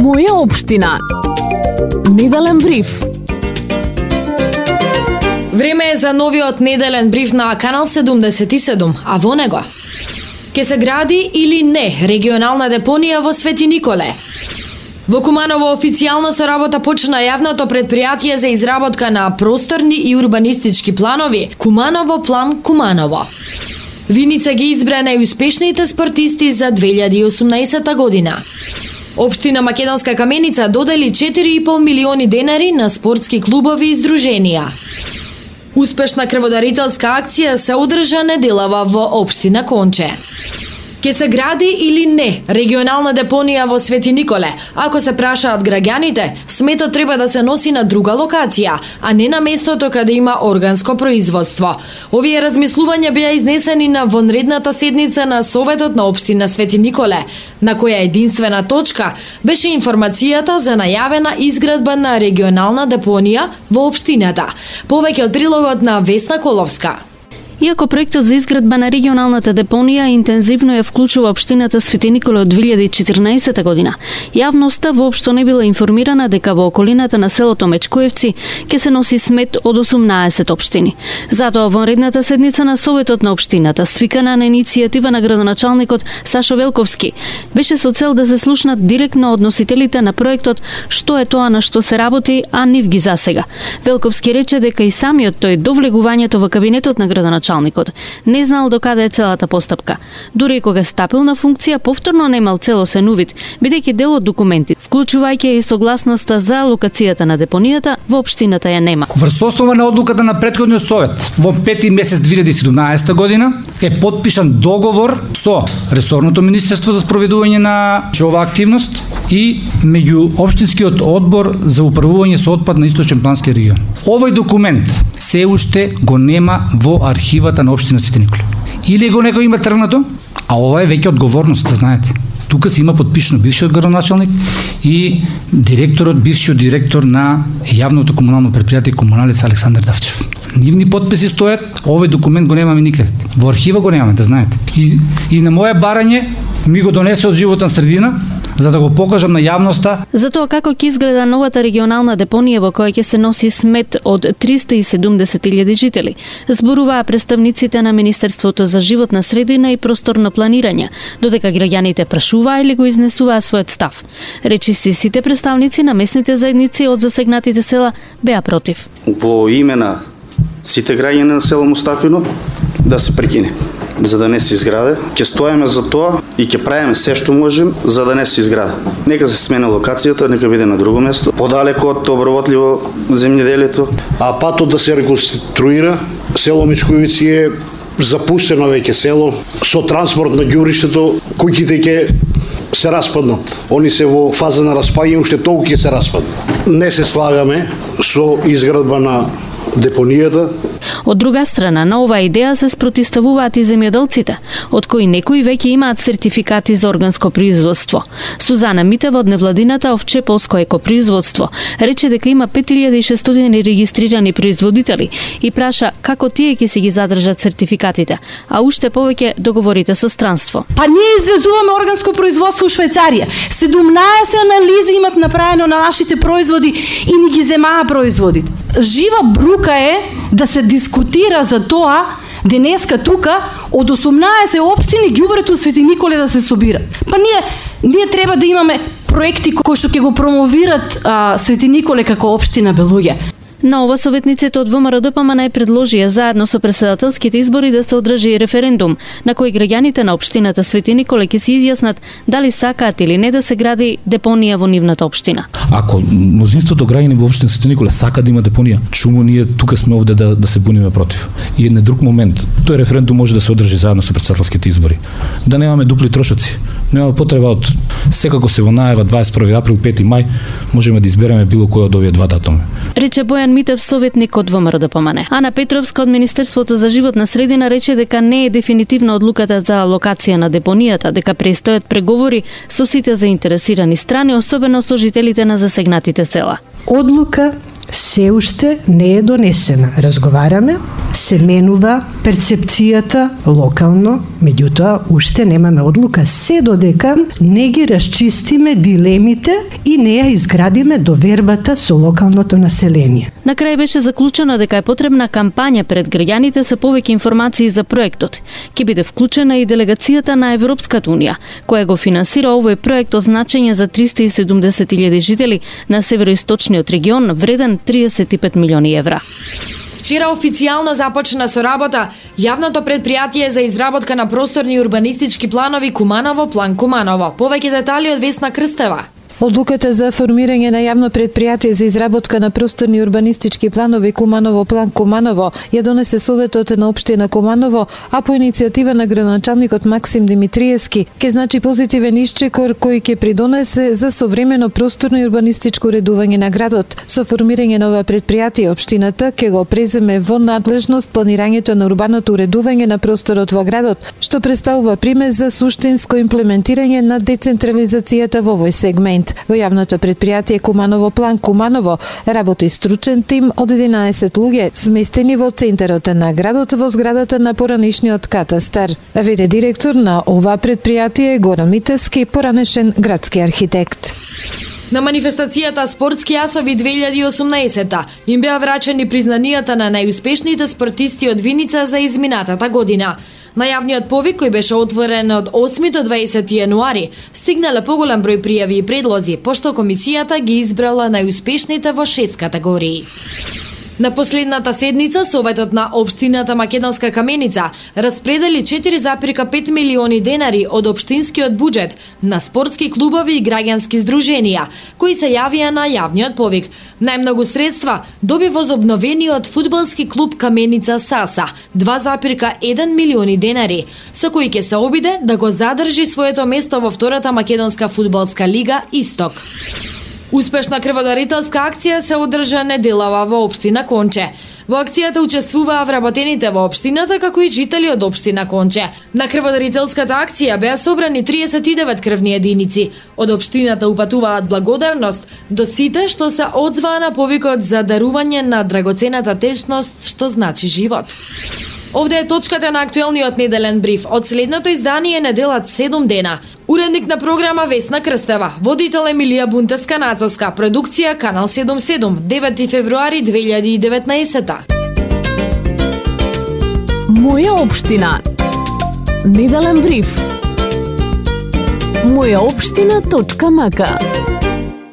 Моја општина. Неделен бриф. Време е за новиот неделен бриф на Канал 77, а во него: ке се гради или не регионална депонија во Свети Николе? Во Куманово официјално со работа почна јавното предпријатие за изработка на просторни и урбанистички планови Куманово план Куманово. Виница ги избра најуспешните спортисти за 2018 година. Општина Македонска Каменица додели 4,5 милиони денари на спортски клубови и здруженија. Успешна крводарителска акција се одржа неделава во општина Конче. Ке се гради или не регионална депонија во Свети Николе? Ако се прашаат граѓаните, сметот треба да се носи на друга локација, а не на местото каде има органско производство. Овие размислувања беа изнесени на вонредната седница на Советот на општина Свети Николе, на која единствена точка беше информацијата за најавена изградба на регионална депонија во општината. Повеќе од прилогот на Весна Коловска. Иако проектот за изградба на регионалната депонија интензивно ја вклучува општината Свети Николе од 2014 година, јавноста воопшто не била информирана дека во околината на селото Мечкоевци ќе се носи смет од 18 општини. Затоа вонредната седница на Советот на општината, свикана на иницијатива на градоначалникот Сашо Велковски, беше со цел да се слушнат директно од носителите на проектот што е тоа на што се работи, а нив ги засега. Велковски рече дека и самиот тој до влегувањето во кабинетот на градоначалникот не знал до каде е целата постапка. Дури и кога стапил на функција, повторно немал целосен увид, бидејќи дел од документи, вклучувајќи и согласноста за локацијата на депонијата, во општината ја нема. Врз основа на одлуката на претходниот совет, во 5 месец 2017 година е потпишан договор со ресорното министерство за спроведување на оваа активност и меѓу општинскиот одбор за управување со отпад на Источен плански регион. Овој документ се уште го нема во архивата на општина Свети Николе. Или го некој има тргнато, а ова е веќе одговорност, да знаете. Тука се има подпишано бившиот градоначалник и бившиот директор на јавното комунално предпријатие Комуналец Александар Давчев. Нивни подписи стојат, овој документ го немаме никаде. Во архива го немаме, да знаете. И на моje барање ми го донесе од Животна средина, за да го покажам на јавноста. За тоа како ќе изгледа новата регионална депонија во која ќе се носи смет од 370.000 жители, зборуваа представниците на Министерството за животна средина и просторно планирање, додека граѓаните прашуваа или го изнесуваа својот став. Речиси сите представници на местните заедници од засегнатите села беа против. Во име на сите граѓани на село Мустафино да се прекине, за да не се изграде. Ќе стоиме за тоа и ќе правиме се што можем за да не се изграде. Нека се смени локацијата, нека биде на друго место, подалеку од обработливо земјоделието. А патот да се реконструира, село Мечкоевци е запустено веќе село, со транспорт на ѓубриштето, куќите ќе се распаднат. Они се во фаза на распаѓање, уште толку ќе се распаднат. Не се слагаме со изградба на депонијата. Од друга страна, на оваа идеја се спротивставуваат и земјоделците, од кои некои веќе имаат сертификати за органско производство. Сузана Митева од невладината Овчеполско екопроизводство рече дека има 5600 регистрирани производители и праша како тие ќе си ги задржат сертификатите, а уште повеќе договорите со странство. Па ние извезуваме органско производство у Швајцарија. 17 анализи имат направено на нашите производи и ни ги земаа производите. Жива брука е да се дискутира за тоа денеска тука од 18 општини ѓубрето Свети Николе да се собира. Па ние треба да имаме проекти кои што ќе го промовират Свети Николе како општина Белуѓе. На ова советниците од ВМРО-ДПМН предложија заедно со претседателските избори да се одржи референдум на кој граѓаните на општината Свети Николе ќе се изјаснат дали сакаат или не да се гради депонија во нивната општина. Ако мнозинството граѓани во општина Свети Николе сака да има депонија, чому ние тука сме овде да се буниме против? И еден друг момент, тој референдум може да се одржи заедно со претседателските избори. Да немаме дупли трошоци. Нема потреба од секако се во најава 21 април, 5 мај, можеме да избереме било кој од овие два датуми. Рече Бојан Митев, советник од ВМРО-ДПМН. Ана Петровска од Министерството за животна средина рече дека не е дефинитивна одлуката за локација на депонијата, дека престојат преговори со сите заинтересирани страни, особено со жителите на засегнатите села. Одлука се уште не е донесена. Разговараме, се менува перцепцијата локално, меѓутоа уште немаме одлука се додека не ги расчистиме дилемите и не ја изградиме довербата со локалното население. На крај беше заклучено дека е потребна кампања пред граѓаните со повеќе информации за проектот. Ќе биде вклучена и делегацијата на Европската унија, која го финансира овој проект од значење за 370.000 жители на североисточниот регион, вреден 35 милиони евра. Вчера официјално започна со работа јавното предпријатие за изработка на просторни и урбанистички планови Куманово, план Куманово. Повеќе детали од Весна Крстева. Одлуката за формирање на јавно предпријатие за изработка на просторни урбанистички планови Куманово, план Куманово ја донесе Советот на општина Куманово, а по иницијатива на градоначалникот Максим Димитриевски ќе значи позитивен исчекор кој ќе придонесе за современо просторно и урбанистичко уредување на градот. Со формирање на ова предпријатие општината ќе го преземе во надлежност планирањето на урбаното уредување на просторот во градот, што представува пример за суштинско имплементирање на децентрализацијата во овој сегмент. Во јавното предпријатие Куманово, план Куманово работи стручен тим од 11 луѓе, сместени во центарот на градот во зградата на поранешниот катастар. Веде директор на ова предпријатие Горан Митевски, поранешен градски архитект. На манифестацијата Спортски јасови 2018 им беа врачени признанијата на најуспешните спортисти од Виница за изминатата година. На јавниот повик, кој беше отворен од 8 до 20 јануари, стигнале поголем број пријави и предлози, пошто комисијата ги избрала најуспешните во 6 категории. На последната седница Советот на општината Македонска Каменица распредели 4,5 милиони денари од општинскиот буџет на спортски клубови и граѓански здруженија, кои се јавија на јавниот повик. Најмногу средства доби возобновениот фудбалски клуб Каменица Саса, 2,1 милиони денари, со кои ќе се обиде да го задржи своето место во втората македонска фудбалска лига Исток. Успешна крводарителска акција се одржа неделава во општина Конче. Во акцијата учествуваа вработените во општината, како и жители од општина Конче. На крводарителската акција беа собрани 39 крвни единици. Од општината упатуваат благодарност до сите што се одзваа на повикот за дарување на драгоцената течност што значи живот. Овде е точката на актуелниот неделен бриф од следното издание неделат 7 дена. Уредник на програма Весна Крстева, водител Емилија Бунтеска-Нацовска, продукција Канал 77, 9 февруари 2019. Моја општина. Неделен бриф. Мојаопштина.мк